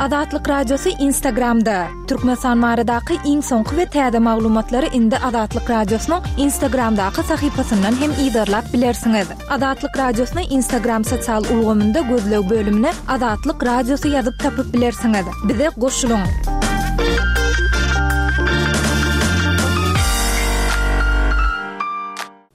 Azatlyk Radiosy Instagramda! Türkmenistan baradaky iň soňky we täze maglumatlary indi Azatlyk Radiosynyň Instagramdaky sahypasyndan hem yzarlap bilersiňiz. Azatlyk Radiosyny Instagram sosial ulgamynda gözleg bölümine Azatlyk Radiosy ýazyp tapyp bilersiňiz. Bize goşulyň!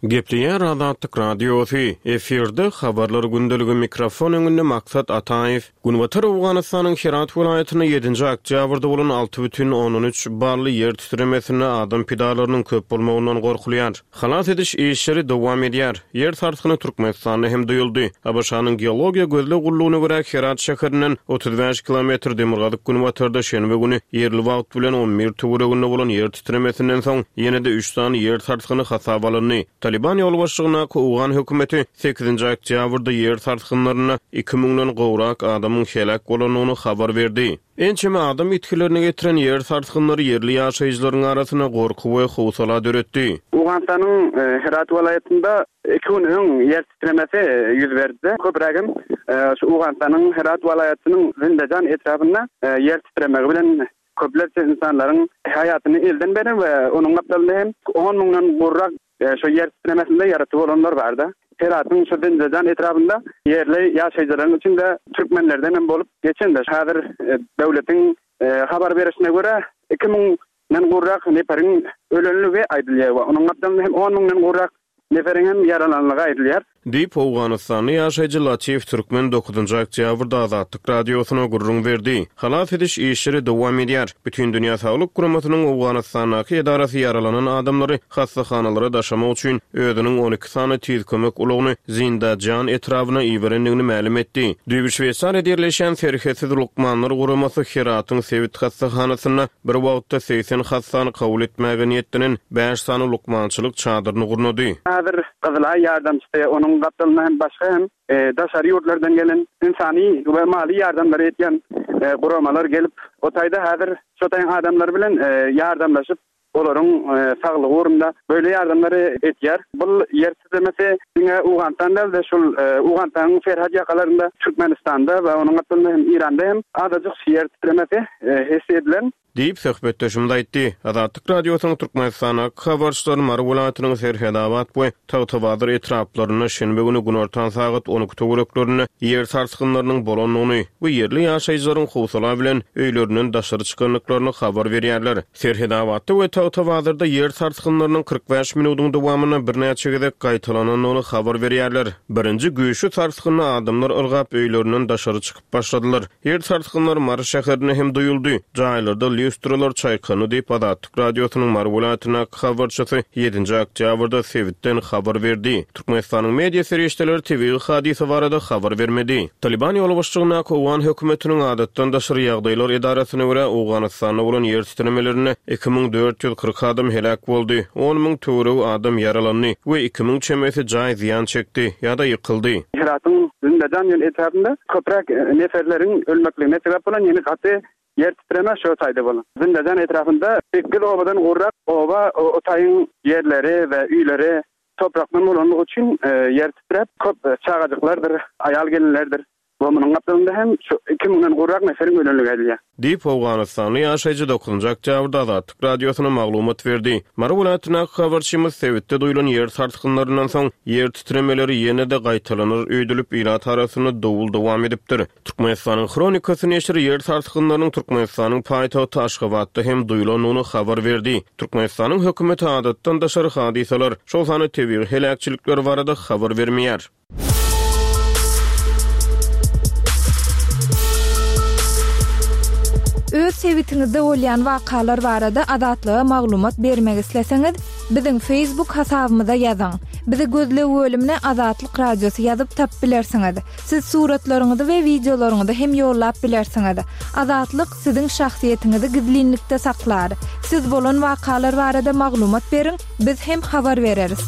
Gepleýär Azatlyk Radiosy, efirde Habarlar gündeligi mikrofon öňünde Maksat Ataýew. Günbatar Owganystanyň Herat welaýatynda ýedinji oktýabrda bolan 6,3 bally ýer titremesinde adam pidalarynyň köp bolmagyndan gorkulýar. Halas ediş işleri dowam edýär. Ýer sarsgyny Türkmenistanda hem duýuldy. ABŞ-nyň Geologiýa gözleg gullugyna görä, Herat şäherinden 35 kilometr demirgazyk-günbatarda şenbe güni ýerli wagt bilen 11 töwereginde bolan ýer titremesinden soň, ýene-de üç sany ýer sarsgyny hasaba alyndy. Talyban ýolbaşçylygyndaky owgan hökümeti sekizinji oktýabrda ýer sarsgynlarynda iki müňden gowrak adamyň heläk bolandygyny habar berdi. Ençeme adam ýitgilerine getiren ýer sarsgynlary ýerli ýaşaýjylaryň arasynda gorky we howsala döretdi. Owganystanyň Herat welaýatynda iki gün öň ýer titremesi ýüz berdi. Köprägem şu Owganystanyň Herat welaýatynyň Zindajan etrabynda ýer titremegi bilen köplerçe ynsanlaryň haýatyny elden beren we onuň gapdalynda hem on müňden gowrak Şo ýer titremesinde ýaraty bolanlar barda. Heratyň şu Zindajan etrabynda ýerli ýaşaýjylaryň içinde türkmenlerden hem bolup geçende, häzir döwletiň habar berişine görä, 2000 den gowrak neperiň ölenligi aýdylýar we onuň gapdalynda hem on müňden gowrak neferiň hem ýaralanlygy aýdylýar. Diýip, owganystanly ýaşaýjy Latif Türkmen dokuzynjy oktýabrda Azatlyk Radiosyna gürrüň berdi. Halas ediş işleri dowam edýär. Bütindünýä Saglyk Guramasynyň Owganystandaky edarasy ýaralanan adamlary hassahanalara daşamak üçin özüniň 12 sany tiz kömek ulagyny Zindajan etrabyna iberendigini mälim etdi. Düýbi Şweýsariýada ýerleşýän Serhetsiz lukmanlar guramasy Heratyň sebit hassahanasynda Bir wagtda 80 hassany kabul etmäge niýetlenen bäş sany lukmançylyk çadyryny gurnady. Häzir Gyzylaý ýardamçysy, onuň gapdalynda hem başga hem daşary ýurtlardan gelen ynsany we maly ýardamlary etýän guramalar gelip, o taýda häzir şo taýyň adamlary bilen ýardamlaşyp, olaryň saglygy ugrunda böyle ýardamlary etýär. Bul ýer titremesi diňe Owganystan däl-de, şul Owganystanyň serhet ýakalarynda, Türkmenistanda we onuň gapdalynda hem Iranda hem azajyk ýer titremesi his edilen. Diýip, söhbetdeşimiz aýtdy. Azatlyk Radiosynyň Türkmenistandaky habarçylary Mary welaýatynyň Serhedabat we Tagtabazar etraplarynda şenbe güni günortan sagat 12 töwereklerinde ýer sarsgynlarynyň bolandygyny we ýerli ýaşaýjylaryň howsala bilen öýlerinden daşary çykandyklaryny habar berýärler. Serhedabatda we Tagtabazarda ýer sarsgynlarynyň 45 minudyň dowamynda birnäçe gezek gaýtalanandygyny habar berýärler. Birinji güýçli sarsgynda adamlar ylgap öýlerinden daşary çykyp başladylar. Ýer sarsgynlary Mary şäherinde hem duýuldy. Jaýlarda lýustralar çaýkandy diýip, Azatlyk Radiosynyň Mary welaýatyndaky habarçysy ýedinji oktýabrda sebitden habar berdi. Türkmenistanyň media serişdeleri tebigy hadysa barada habar bermedi. Talyban ýolbaşçylygyndaky owgan hökümetiniň Adatdan daşary ýagdaýlar edarasyna görä, Owganystanda bolan ýer titremelerinde 2440 adam heläk boldy, on müň töweregi adam ýaralandy we 2000 çemesi jaý zyýan çekdi ýa-da ýykyldy. Heratyň Zindajan diýen etrabynda köpräk neferleriň ölmekligine sebäp bolan ýene gaty ýer titreme şo taýda bolan. Zindajan etrapynda sekiz obadan gowrak oba o taýyň ýerleri we öýleri Toprakdan bolanlygy üçin ýer titräp, köp çagajyklardyr, aýal-gelinlerdir we munuň gapdalynda hem şu iki müňden gowrak neferiň ölenligi aýdylýar. Diýip, owganystanly ýaşaýjy dokuzynjy oktýabrda Azatlyk Radiosyna maglumat berdi. Mary welaýatyndaky habarçymyz sebitde duýlan ýer sarsgynlaryndan soň, ýer titremeleri ýene-de gaýtalanar öýdülip, ilat arasynda dowul dowam edipdir. Türkmenistanyň Hronikasy neşiri ýer sarsgynlarynyň Türkmenistanyň paýtagty Aşgabatda hem duýlandygyny habar berdi. Türkmenistanyň hökümeti adatdan daşary hadysalar, şol sanda tebigy heläkçilikler barada habar bermeýär. Öz sebitiňizde bolýan wakalar barada Azatlyga maglumat bermek isleseňiz, biziň Facebook hasabymyza ýazyň. Bizi gözleg bölümine Azatlyk Radiosy ýazyp tapyp bilersiňiz. Siz suratlaryňyzy we wideolaryňyzy hem ýollap bilersiňiz. Azatlyk siziň şahsyýetiňizi gizlinlikde saklar. Siz bolan wakalar barada maglumat beriň, biz hem habar bereris.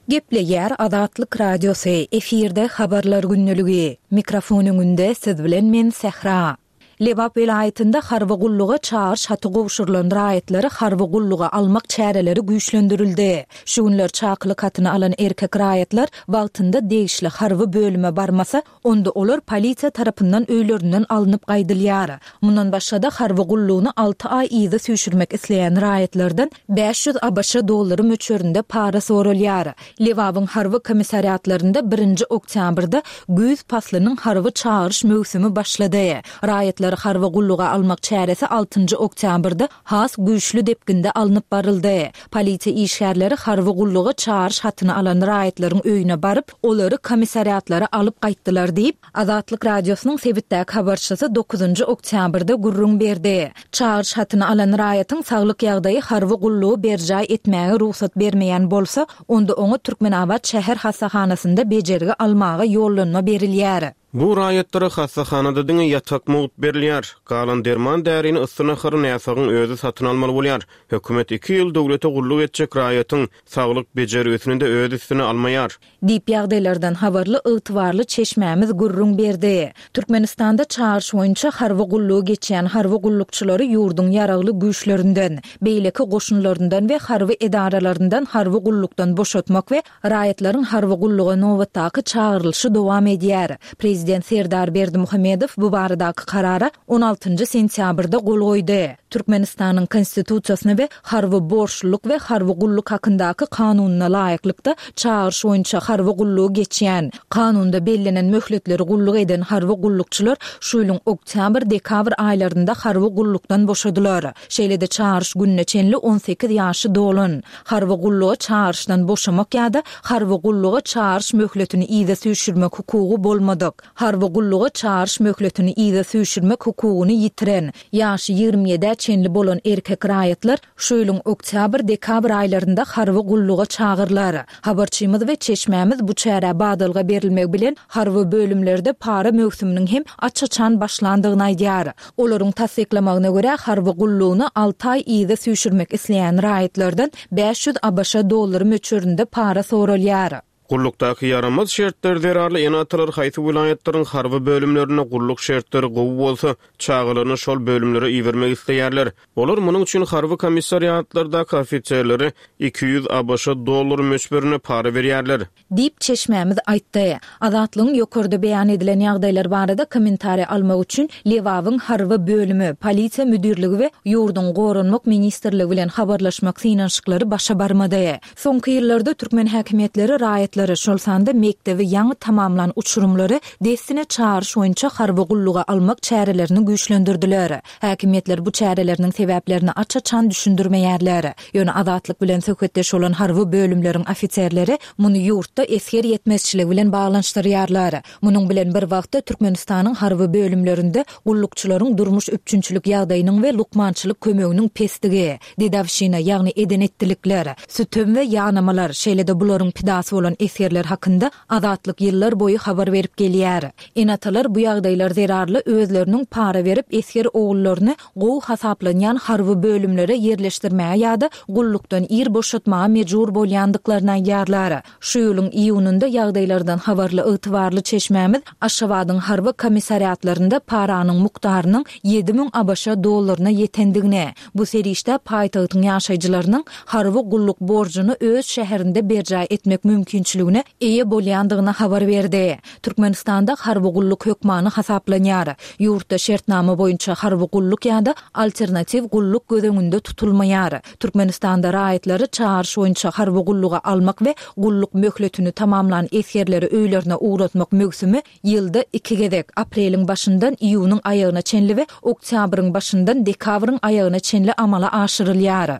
Gepleýär Azatlyk Radiosy, efirde Habarlar gündeligi. Mikrofon öňünde siz bilen men Sähra. Lebap welaýatynda harby gulluga çagyryş haty gowşurylan raýatlary harby gulluga almak çäreleri güýçlendirildi. Şu günler çakylyk hatyny alan erkek raýatlar wagtynda degişli harby bölüme barmasa, onda olar polisiýa tarapyndan öýlerinden alnyp gaýdylýar. Mundan başga-da, harby gullugyny alty aý yza süýşürmek isleýän raýatlardan 500 ABŞ dollary möçberinde para soralýar. Lebabyň harby komissariatlarynda birinji oktýabrda güýz paslynyň harby çagyryş möwsümi başlady. Raýatlary harby gulluga almak çäresi altynjy oktýabrda has güýçli depginde alnyp baryldy. Polisiýa işgärleri harby gulluga çagyryş hatyny alan raýatlaryň öýüne baryp, olary komissariatlara alyp gaýtdylar diýip, Azatlyk Radiosynyň sebitdäki habarçysy dokuzynjy oktýabrda gürrüň berdi. Çagyryş hatyny alan raýatyň saglyk ýagdaýy harby gullugy berjaý etmäge rugsat bermeýän bolsa, onda oňa Türkmenabat şäher hassahanasynda bejergi almaga ýollanma berilýär. Bu raýatlara hassahanada diňe ýatak mugt berilýär. Galan derman-därini, yssy nahary näsagyň özi satyn almaly bolýar. Hökümet iki ýyl döwlete gulluk etjek raýatyň saglyk bejergisini-de öz üstüne almaýar. Diýip, ýagdaýlardan habarly ygtybarly çeşmämiz gürrüň berdi. Türkmenistanda çagyryş boýunça harby gullugy geçýän harby gullukçylary ýurduň ýaragly güýçlerinden, beýleki goşunlaryndan we harby edaralaryndan harby gullukdan boşatmak we raýatlaryň harby gulluga nobatdaky çagyrylyşy dowam edýär. Prezident Serdar Berdimuhamedow bu baradaky karara on altynjy sentýabrda gol goýdy. Türkmenistanyň Konstitusiýasyna we Harby borçlulyk we harby gulluk hakyndaky Kanunyna laýyklykda, çagyryş boýunça harby gullugy geçýän, Kanunda bellenen möhletleri gulluk eden harby gullukçylar şu ýylyň oktýabr-dekabr aýlarynda harby gullukdan boşadylar. Şeýle-de çagyryş gününe çenli 18 ýaşy dolan, harby gulluga çagyryşdan boşamak ýa-da harby gulluga çagyryş möhletini yza süýşürmek hukugy bolmadyk, Harby gulluga çagyryş möhletini yza süýşürmek hukugyny ýitiren, ýaşy ýigrimi ýedä çenli bolan erkek raýatlar şu ýylyň oktýabr-dekabr aýlarynda harby gulluga çagyrylar. Habarçymyz we çeşmämiz bu çärä badalga berilmegi bilen harby bölümlerde para möwsüminiň hem aç-açan başlandygyny aýdýar. Olaryň tassyklamagyna görä, harby gullugyny alty aý yza süýşürmek isleýän raýatlardan 500 ABŞ dollary möçberinde para soralýar. Gullukdaky ýaramaz şertler zerarly ene-atalar haýsy welaýatlaryň harby bölümlerinde gulluk şertleri gowy bolsa, çagalaryny şol bölümlere ibermek isleýärler. Olar munuň üçin harby komissariatlardaky ofiserlere 200 ABŞ dollary möçberinde para berýärler. Diýip, çeşmämiz aýtdy. Azatlygyň ýokarda beýan edilen ýagdaýlar barada kommentariý almak üçin Lebabyň harby bölümi, polisiýa müdirligi we ýurduň Goranmak ministrligi bilen habarlaşmak synanyşyklary başa barmady. Soňky ýyllarda türkmen häkimiýetleri raýatlary, şol sanda mekdebi ýaňy tamamlan uçurymlary dessine çagyryş boýunça harby gulluga almak çärelerini güýçlendirdiler. Häkimiýetler bu çäreleriniň sebäplerini aç-açan düşündirmeýärler. Ýöne Azatlyk bilen söhbetdeş bolan harby bölümleriň ofiserleri muny ýurtda esger ýetmezçiligi bilen baglanyşdyrýarlar. Munuň bilen bir wagtda Türkmenistanyň harby bölümlerinde gullukçylaryň durmuş üpjünçilik ýagdaýynyň we lukmançylyk kömeginiň pesdigi, dedowşina, ýagny eden-etdilikler, sütem we ýanamalar, şeýle-de bularyň pidasy bolan esgerler hakynda Azatlyk ýyllar boýy habar berip gelýär. Ene-atalar bu ýagdaýlar zerarly özleriniň para berip esger ogullaryny gowy hasaplanýan harby bölümlere ýerleşdirmäge ýa-da gullukdan ir boşatmaga mejbur bolýandyklaryny aýdýarlar. Şu ýylyň iýunynda ýagdaýlardan habarly ygtybarly çeşmämiz Aşgabadyň harby komissariatlarynda paranyň mukdarynyň 7000 ABŞ dollaryna ýetendigini, bu serişdä paýtagtyň ýaşaýjylarynyň harby gulluk borjuny öz şäherinde berjaý etmek mümkinçiligine eýe bolýandygyny habar berdi. Türkmenistanda harby gulluk hökmany hasaplanýar. Ýurtda şertnama boýunça harby gulluk ýa-da alternatiw gulluk göz öňünde tutulmaýar. Türkmenistanda raýatlary çagyryş boýunça harby gulluga almak we gulluk möhletini tamamlan esgerleri öýlerine ugratmak möwsümi ýylda iki gezek, apreliň başyndan iýunyň aýagyna çenli we oktýabryň başyndan dekabryň aýagyna çenli amala aşyrylýar.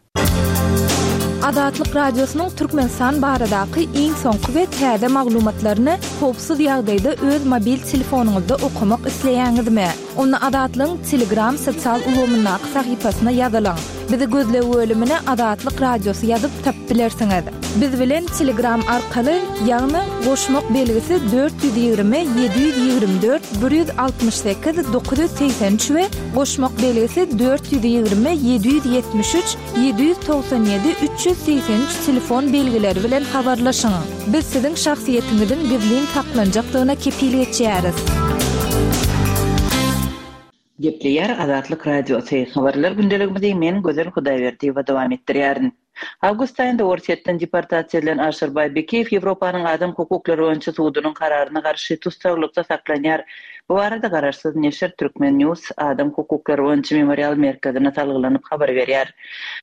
Azatlyk Radiosynyň Türkmenistan baradaky iň soňky we täze maglumatlaryny howpsuz ýagdaýda öz mobil telefonyňyzda okamak isleýäňizmi? Onda Azatlygyň Telegram sosial ulgamyndaky sahypasyna ýazylyň. Bizi gözleg bölümine Azatlyk Radiosy ýazyp tapyp bilersiňiz. Biz bilen Telegram arkaly, ýagny goşmak belgisi 420 724 168 983 we goşmak belgisi 420 773 797 383 telefon belgileri bilen habarlaşyň. Biz siziň şahsyýetiňiziň gizlin saklanjakdygyna kepil geçýäris. Gepleýär Azatlyk Radiosy, Habarlar gündeligimizi men Gözel Hudaýberdiýewa dowam etdirýärin. Awgust aýynda Orsýetden deportasiýa edilen Aşyrbaý Bekiýew Ýewropanyň adam hukuklary boýunça sudunyň kararyna garşy tussaglykda saklanýar. Bu barada garaşsyz neşir Turkmen. News adam hukuklary boýunça Memorial merkezine salgylanyp habar berýär.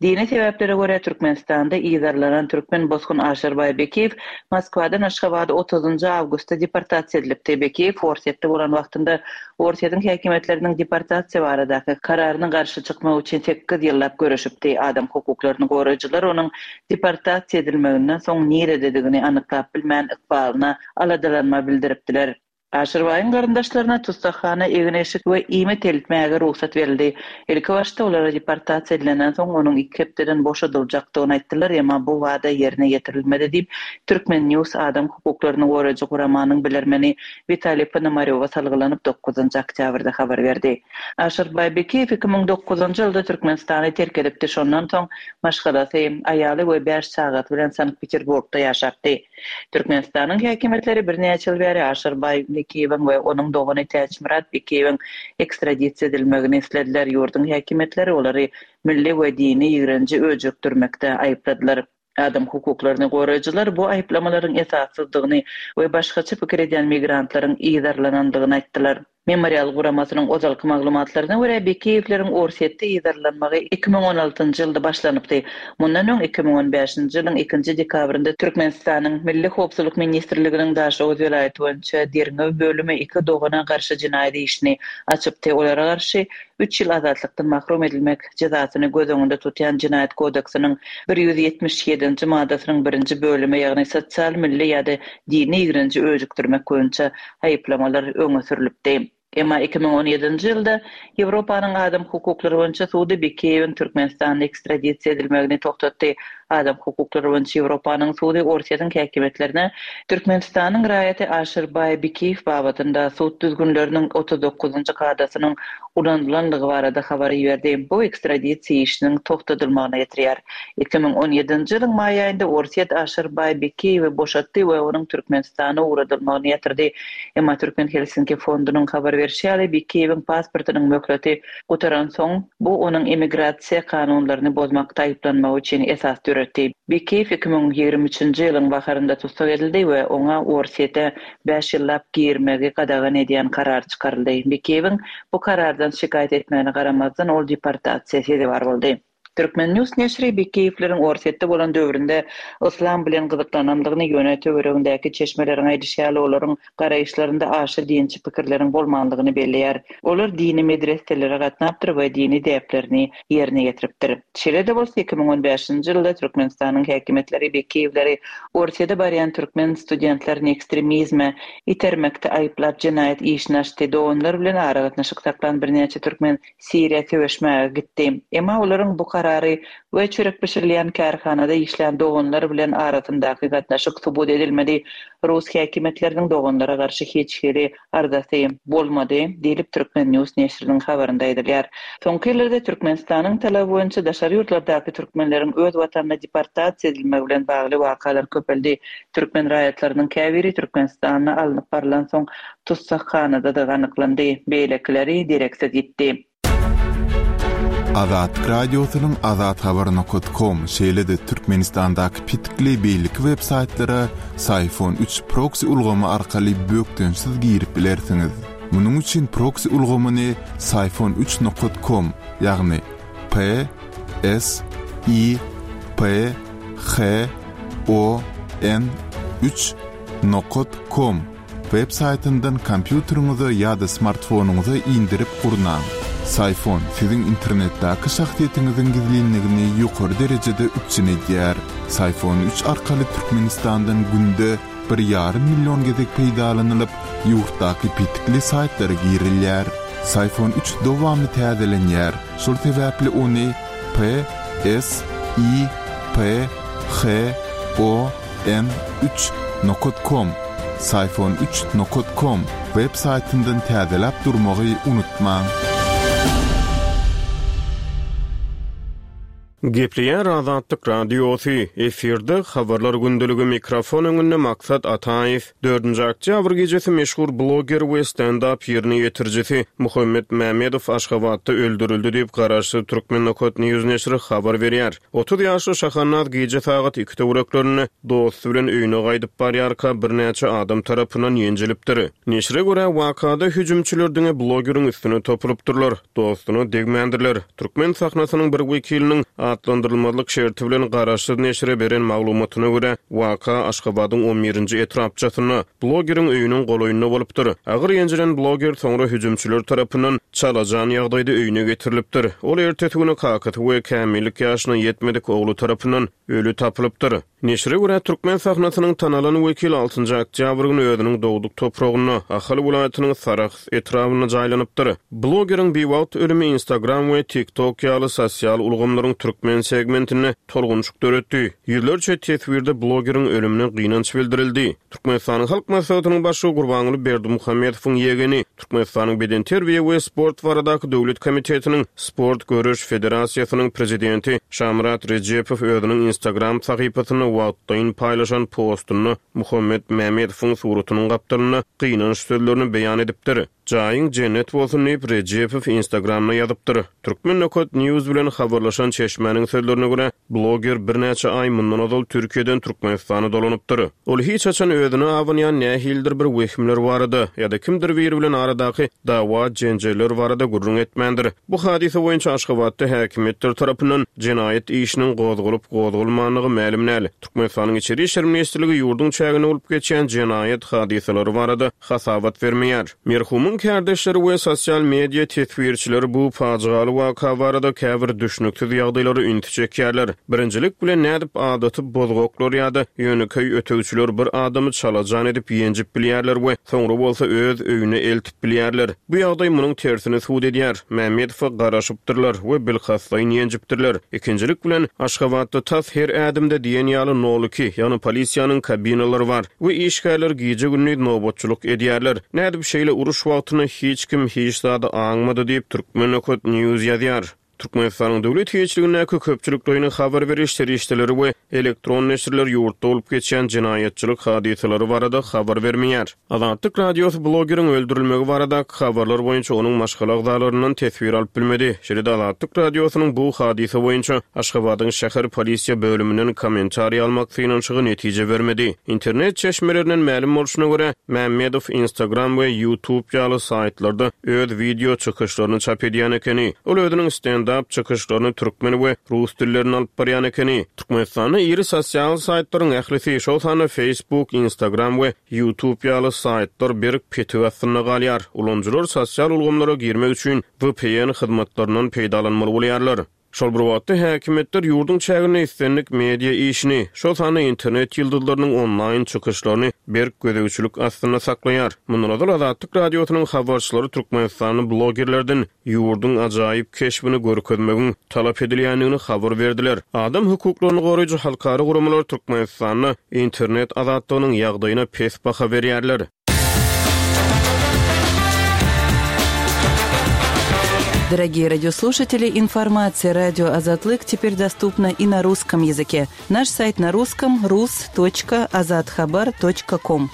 Dini sebäplere görä Türkmenistanda yzarlanan türkmen bosgun Aşyrbaý Bekiýew Moskwadan Aşgabada otuzynjy awgustda deportasiýa edilipdi. Bekiýew Orsýetde bolan wagtynda Orsýetiň häkimiýetleriniň deportasiýa baradaky kararyna garşy çykmak üçin sekiz ýyllap göreşipdi. Adam hukuklaryny goraýjylar onuň deportasiýa edilmeginden soň nirededigini anyklap bilmän, ykbalyna aladalanma bildiripdiler. Aşyrbaýyň garyndaşlaryna tussaghana egin-eşik we iýmit eltmäge rugsat berildi. Ilkibaşda olara deportasiýa edilenden soň onuň iki hepdeden boşadyljakdygyny aýtdylar, emma bu wada ýerine ýetirilmedi diýip, Turkmen. News adam hukuklaryny goraýjy guramanyň bilermeni Witaliý Ponomarýowa salgylanyp, dokuzynjy oktýabrda habar berdi. Aşyrbaý Bekiýew 2009-njy ýylda Türkmenistany terk edipdi, şondan soň maşgalasy, aýaly we bäş çagasy bilen Sankt-Peterburgda ýaşapdy. Türkmenistanyň häkimiýetleri birnäçe ýyl bäri Aşyrbaý Bekiýewiň we onuň dogany Täçmyrat Bekiýewiň ekstradisiýa edilmegini islediler, ýurduň häkimiýetleri olary milli we dini ýigrenji öjükdirmekde aýypladylar. Adam hukuklaryny goraýjylar bu aýyplamalaryň esassyzdygyny we başgaça pikir edýän migrantlaryň yzarlanandygyny aýtdylar. Memorial guramasynyň ozalky maglumatlaryna görä, Bekiýewleriň Orsýetde yzarlanmagy 2016-njy ýylda başlanypdy. Mundan öň, 2015-nji ýylyň ikinji dekabrynda Türkmenistanyň Milli howpsuzlyk ministrliginiň Daşoguz welaýaty boýunça derňew bölümi iki dogana garşy jenaýat işini açypdy. Olara garşy üç ýyl azatlykdan mahrum edilmek jezasyny göz öňünde tutýan Jenaýat kodeksiniň 177-nji maddasynyň birinji bölümi, ýagny sosial, milli ýa-da dini ýigrenji öjükdirmek boýunça aýyplamalar öňe sürlüpdi. Emma 2017-nji ýylda Ýewropanyň adam hukuklary boýunça sudy Bekiýewiň Türkmenistana ekstradisiýa edilmegini togtatdy. Adam hukuklary boýunça Ýewropanyň sudy Orsýetiň häkimiýetlerine Türkmenistanyň raýaty Aşyrbaý Bikiýew babatynda sud düzgünleriniň 39-njy kadasynyň ulanylandygy barada habar iberdi. Bu ekstradisiýa işiniň togtadylmagyna getirýär. 2017-nji ýylyň maý aýynda Orsýet Aşyrbaý Bikiýewi boşatdy we onuň Türkmenistana ugradylmagyny ýatyrdy. Emma Türkmen Helsinki fondunyň habar berşi ýaly, Bikiýewiň pasportynyň möhleti gutaransoň, bu onuň emigrasiýa kanunlaryny bozmakda aýyplanmagy üçin esas döretdi. Bekiýew 2023-nji ýylyň baharynda tussag edildi we oňa Orsýete bäş ýyllap girmegi gadagan edýän karar çykaryldy. Bekiýewiň bu karardan şikaýat etmegine garamazdan, ol deportasiýa sezewar boldy. Turkmen. News neşiri Bekiýewleriň Orsýetde bolan döwründe yslam bilen gyzyklanandygyny, ýöne töweregindäki çeşmeleriň aýdyşy ýaly olaryň garaýyşlarynda aşa dinçi pikirleriň bolmandygyny belleýär. Olar dini medreselere gatnapdyr we dini däplerini ýerine ýetiripdir. Şeýle-de bolsa, 2015-nji ýylda Türkmenistanyň häkimiýetleri Bekiýewleri Orsýede barýan türkmen studentlerini ekstremizme itermekde aýyplap jenaýat işini açdy. Doganlar bilen aragatnaşyk saklan birnäçe türkmen Siriýa söweşmäge gitdi. Emma olaryň bu karary we çörek bişirilýän kärhanada işlän doganlar bilen arasyndaky gatnaşyk subut edilmedi. Rus häkimiýetleriniň doganlara garşy hiç hili arzasy bolmady, diýlip Turkmen. News neşiriniň habarynda aýdylýar. Soňky ýyllarda Türkmenistanyň talaby boýunça daşary ýurtlardaky türkmenleriň öz watanyna deportasiýa edilmegi bilen bagly wakalar köpeldi. Türkmen raýatlarynyň käbiri Türkmenistanda alnyp barylansoň tussaghanadydygy anyklandy, beýlekileri dereksiz ýitdi. Azatlyk Radiosynyň Azathabar nokat kom, şeýle-de Türkmenistandaky petikli beýleki web saýtlara Syfon üç proksi ulgamy arkaly bökdençsiz girip bilersiňiz. Munuň üçin proksi ulgamyny Syfon üç nokat kom, ýagny P S I P H O N üç nokat kom Web saýtyndan kompýuteriňize ýa-da smartfonyňyza indirip gurnaň. Syfon siziň internetdäki şahsyýetiňiziň gizlinligini ýokary derejede üpjün edýär. Syfon üç arkaly Türkmenistandan günde bir ýarym million gezek peýdalanylyp, ýurtdaky petikli saýtlara girilýär. Syfon üç dowamly täzelenýär, şol sebäpli ony P S I P H O N üç nokat kom Syfon üç nokat kom web saýtyndan täzeläp durmagy unutmaň. Gepleýär Azatlyk Radiosy, efirde Habarlar gündeligi mikrofon öňünde Maksat Ataýew. Dördünji oktýabr gijesi meşhur bloger we stend-ap ýerine ýetirijisi Muhammet Mämmedow Aşgabatda öldürildi diýip, garaşsyz Turkmen Nokat News neşiri habar berýär. 30 ýaşly Şahanaz gije sagat iki töwereklerinde dosty bilen öýüne gaýdyp barýarka birnäçe adam tarapyndan ýenjilipdir. Neşire görä, wakada hüjümçiler diňe blogeriň üstüne topulypdyrlar. Dostuna degmändirler. Türkmen sahnasynyň bir wekiliniň atlandyrylmazlyk şerti bilen garaşsyz neşire beren maglumatyna görä, waka Aşgabadyň on birinji etrapçasynda, blogeriň öýüniň golaýynda bolupdyr. Agyr ýenjilen bloger soňra hüjümçiler tarapyndan çalajan ýagdaýda öýüne getirilipdir. Ol ertesi güni kakasy we kämillik ýaşyna ýetmedik ogly tarapyndan öli tapylypdyr. Neşire görä, türkmen sahnasynyň tanalan wekili altynjy oktýabr güni özüniň dogduk topragynda, Ahal welaýatynyň Sarahs etrabynda jaýlanypdyr. Blogeriň biwagt ölümi Instagram we TikTok ýaly sosial ulgamlaryň türkmen segmentinde tolgunşyk döretdi. Ýüzlerçe teswirde blogeriň ölümine gynanç bildirildi. Türkmenistanyň Halk Maslahatynyň Başlygy Gurbanguly Berdimuhamedowyň ýegeni, Türkmenistanyň Bedenterbiýe we sport baradaky döwlet komitetiniň Sport göreş federasiýasynyň prezidenti Şamyrat Rejepow özüniň Instagram sahypasynda wagtlaýyn paýlaşan postunda Muhammet Mämedowyň suratynyň gapdalynda gynanç sözlerini beýan edipdir. Jaýyň jennet bolsun diýip, Rejepow Instagramda ýazypdyr. Turkmen Nokat News bilen habarlaşan çeşmäniň sözlerine görä, bloger birnäçe aý mundan ozal Türkiýeden Türkmenistana dolanypdyr. Ol hiç haçan özüne abanýan nähilidir bir wehimler barada ýa-da kimdir biri bilen aradaky dawa-jenjeller barada gürrüň etmändir. Bu hadysa boýunça Aşgabatda häkimiýetler tarapyndan jenaýat işiniň gozgalyp-gozgalmandygy mälim däl. Türkmenistanyň Içeri işler ministrligi ýurduň çäginde bolup geçýän jenaýat hadysalary barada hasabat bermeýär. Merhumyň kärdeşleri we sosial media teswirçileri bu pajygaly waka barada käbir düşnüksiz ýagdaýlara ünsi çekýärler. Birinjilik bilen nädip adaty bozgaklar ýa-da ýönekeý ötegçiler bir adamy çalajan edip ýenjip bilýärler we soňra bolsa öz öýüne eltip bilýärler. Bu ýagdaý munuň tersini subut edýär. Mämmedowa garaşypdyrlar we bilkastlaýyn ýenjipdirler. Ikinjilik bilen, Aşgabatda tas her ädimde diýen ýaly nol iki, ýagny polisiýanyň kabinalary bar we işgärler gije-gündiz nobatçylyk edýärler. Nädip şeýle uruş wagtynda hiç kim hiç zady aňmady diýip, Turkmen. News ýazýar. Türkmenistanyň döwlet eýeçiligindäki köpçülikleýin habar beriş serişdeleri we elektron neşirler ýurtda bolup geçýän jenaýatçylyk hadysalary barada habar bermeýär. Azatlyk Radiosy blogeriň öldürilmegi baradaky habarlar boýunça onuň maşgala agzalaryndan teswir alyp bilmedi. Şeýle-de Azatlyk Radiosynyň bu hadysa boýunça Aşgabadyň şäher polisiýa bölüminden kommentariý almak synanyşygy netije bermedi. Internet çeşmelerinden mälim bolşuna görä, Mämmedow Instagram we YouTube ýaly saýtlarda öz wideo çykyşlaryny çap edýän ekeni. Ol özüniň stend-ap çykyşlaryny türkmen we rus dillerinde alyp barýan ekeni. Türkmenistanda iri sosial saýtlaryň ählisi, şol sanda Facebook, Instagram we YouTube ýaly saýtlar berk petik astynda galýar. Ulanyjylar sosial ulgamlara girmek üçin VPN hyzmatlaryndan peýdalanmaly bolýarlar. Şol bir wagtda, häkimiýetler ýurduň çäginde islendik media işini, şol sanda internet ýyldyzlarynyň onlaýn çykyşlaryny berk gözegçilik astynda saklaýar. Mundan ozal Azatlyk Radiosynyň habarçylary türkmenistanly blogerlerden ýurduň ajaýyp keşbini görkezmegiň talap edilýändigini habar berdiler. Adam hukuklaryny goraýjy halkara guramalar Türkmenistanda internet azatlygynyň ýagdaýyna pes baha berýärler. Дорогие радиослушатели, информация радио Азатлык теперь доступна и на русском языке. Наш сайт на русском rus.azathabar.com.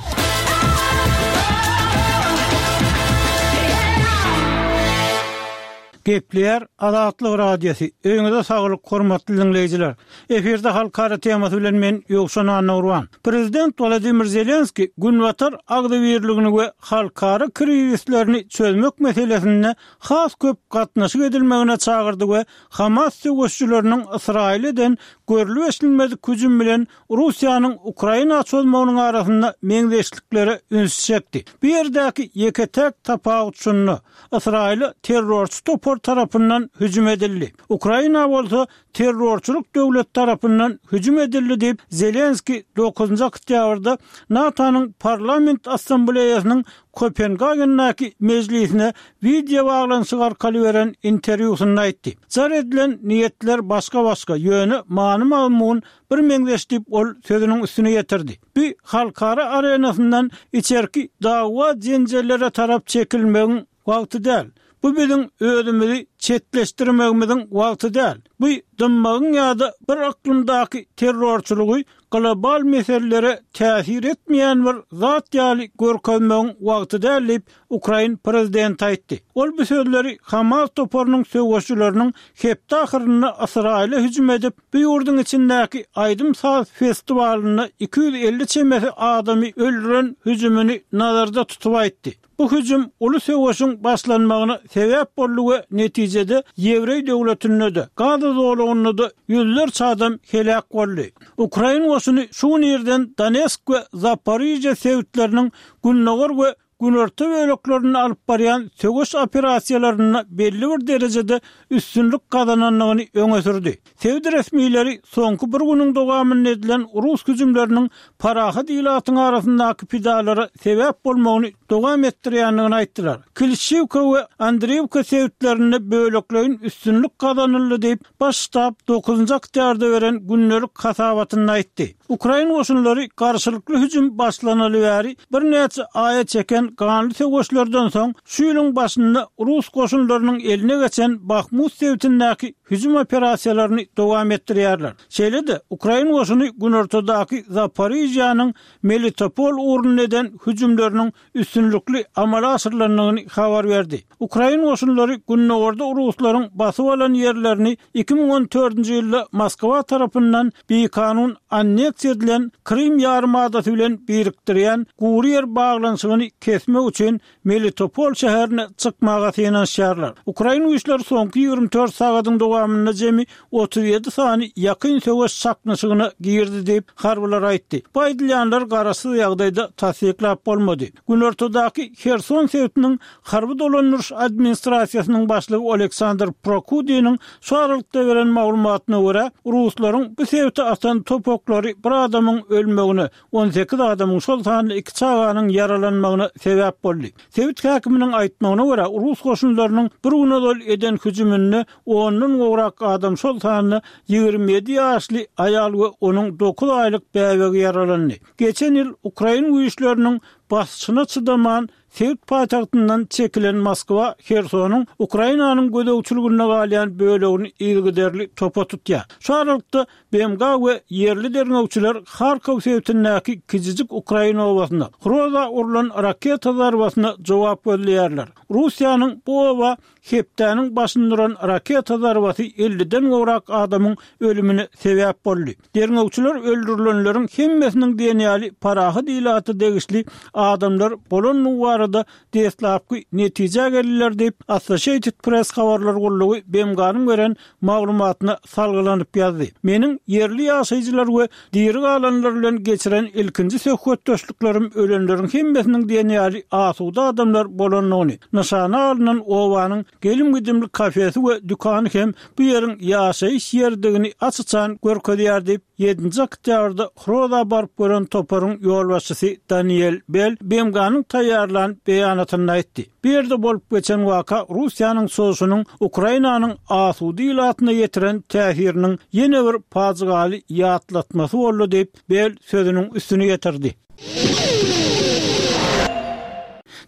Gepleýär Azatlyk Radiosy, Öýüňize saglyk hormatly diňleýjiler! Efirde halkara temasy bilen men Ýowşan Annagurban. Prezident Wladimir Zelenskiý Günbatar agzybirligini we halkara krizislerini çözmek meselesinde has köp gatnaşyk edilmegine çagyrdy we Hamas söweşijileriniň Ysraýyla eden görlüp-eşidilmedik hüjüm bilen Russiýanyň Ukraina çozmagynyň arasynda meňzeşliklere ünsi çekdi. Bu ýerdäki ýeke-täk tapawut şunda, Ysraýyla terrorçy topar tarapyndan hüjüm edildi. Ukraina bolsa terrorçylyk döwleti tarapyndan hüjüm edildi diýip, Zelenskiý dokuzynjy oktýabrda NATO-nyň Parlament Assambleýasynyň Kopengagendäki mejlisine wideobaglanyşyk arkaly beren interwýusynda aýtdy. Jar edilen niýetler başga-başga, ýöne many-mazmun birmeňzeş diýip, ol sözüniň üstüni ýetirdi. Bu halkara arenasyndan içerki dawa-jenjellere tarap çekilmegiň wagty däl. Bu biziň özümizi. çetleşdirmegimiziň wagty däl. Bu dymmagyň ýa-da bir yklymdaky terrorçylygy global meselelere täsir etmeýän bir zat ýaly görkezmegiň wagty däl diýip, ukrain prezidenti aýtdy. Ol bu sözleri Hamas toparynyň söweşijileriniň hepde ahyrynda Ysraýyla hüjüm edip, bu ýurduň içindäki aýdym-saz festiwalynda 250 çemesi adamy öldüren hüjümini nazarda tutup aýtdy. Bu hüjüm uly söweşiň başlanmagyna sebäp boldy we netijede ýewreý döwletinde-de, Gaza zolagynda-da ýüzlerçe adam heläk boldy. Ukrain goşuny şu gün irden Donetsk we Zaporižýa sebitleriniň gündogar we günorta böleklerinde alyp barýan söweş operasiýalarynda belli bir derejede üstünlik gazanandygyny öňe sürdi. Sebit resmileri soňky bir günüň dowamynda edilen rus hüjümleriniň parahat ilatyň arasyndaky pidalara sebäp bolmagyny dowam etdirýändigini aýtdylar. Klişiwka we Andriýewka sebitlerinde bölekleýin üstünlik gazanyldy diýip, Baş ştab dokuzynjy oktýarda beren gündelik hasabatynda aýtdy. Ukrain goşunlary garşylykly hüjüm başlanaly bäri birnäçe aýa çeken ganly söweşlerden soň, şu ýylyň başynda rus goşunlarynyň eline geçen Bahmut sebitindäki hüjüm operasiýalaryny dowam etdirýärler. Şeýle-de, ukrain goşuny günortadaky Zaporižýanyň Melitopol ugrunda eden hüjümleriniň üstünlikli amala aşyrylandygyny habar berdi. Ukrain goşunlary gündogarda ruslaryň basyp alan ýerlerini 2014-nji ýylda Moskwa tarapyndan bikanun anneksiýa edilen Krym ýarymadasy bilen birikdirýän gury ýer baglanyşygyny kesmek üçin Melitopol şäherine çykmaga synanyşýarlar. Ukrain güýçleri soňky 24 sagadyň dowamynda jemi 37 sany ýakyn söweş çaknyşygyna girdi diýip, harbylar aýtdy. Bu aýdylýanlar garaşsyz ýagdaýda tassyklap bolmady. Günortadaky Herson sebitiniň harby dolandyryş administrasiýasynyň başlygy Oleksandr Prokudiniň şu aralykda beren maglumatyna görä, ruslaryň bu sebite atan top oklary bir adamyň ölmegine, 18 adamyň, şol sanda iki çaganyň ýaralanmagyna sebäp boldy. Sebit häkiminiň aýtmagyna görä, rus goşunlarynyň bir gün ozal eden hüjüminde ondan gowrak adam, şol sanda 27 ýaşly aýal we onuň dokuz aýlyk bäbegi ýaralandy. Geçen ýyl ukrain güýçleriniň basyşyna çydaman, sebit paýtagtyndan çekilen Moskwa Hersonyň Ukrainanyň gözegçiliginde galýan bölegini yzygiderli topa tutýar. Şu aralykda, BMG we ýerli derňewçiler Harkow sebitindäki kiçijik ukrain obasyna, Hroza urlan raketa zarbasyna jogap gözleýärler. Russiýanyň bu oba hepdäniň başynda uran raketa zarbasy elliden gowrak adamyň ölümine sebäp boldy. Derňewçiler öldürilenleriň hemmesiniň diýen ýaly parahat ilata degişli adamlar bolandygy barada deslapky netijä geldiler diýip, Associated Press habarlar gullugy BMG-niň beren maglumatyna salgylanyp ýazdy. Meniň ýerli ýaşaýjylar we diri galanlar bilen geçiren ilkinji söhbetdeşliklerim ölenleriň hemmesiniň diýen ýaly asuda adamlar bolandygyny, nyşana alnan obanyň gelim-gidimli kafesi we dükany hem bu ýeriň ýaşaýyş ýeridigini aç-açan görkezýär diýip, Ýedinji oktýabrda Hroza baryp gören toparyň ýolbaşçysy Daniel Bell BMG-niň taýýarlan beýanatynda aýtdy. Bu ýerde bolup geçen waka Russiýanyň çozuşynyň Ukrainanyň asuda ilatyna ýetiren täsiriniň ýene bir pajygaly ýatlatmasy boldy diýip, Bell sözüniň üstüni ýetirdi.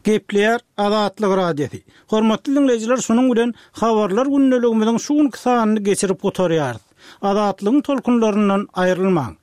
Gepleýär Azatlyk Radiosy. Hormatly diňleýjiler, şunuň bilen Habarlar gündeligimiziň şu günki sanyny geçirip gutarýarys. Azatlygyň tolkunlaryndan aýrylmaň!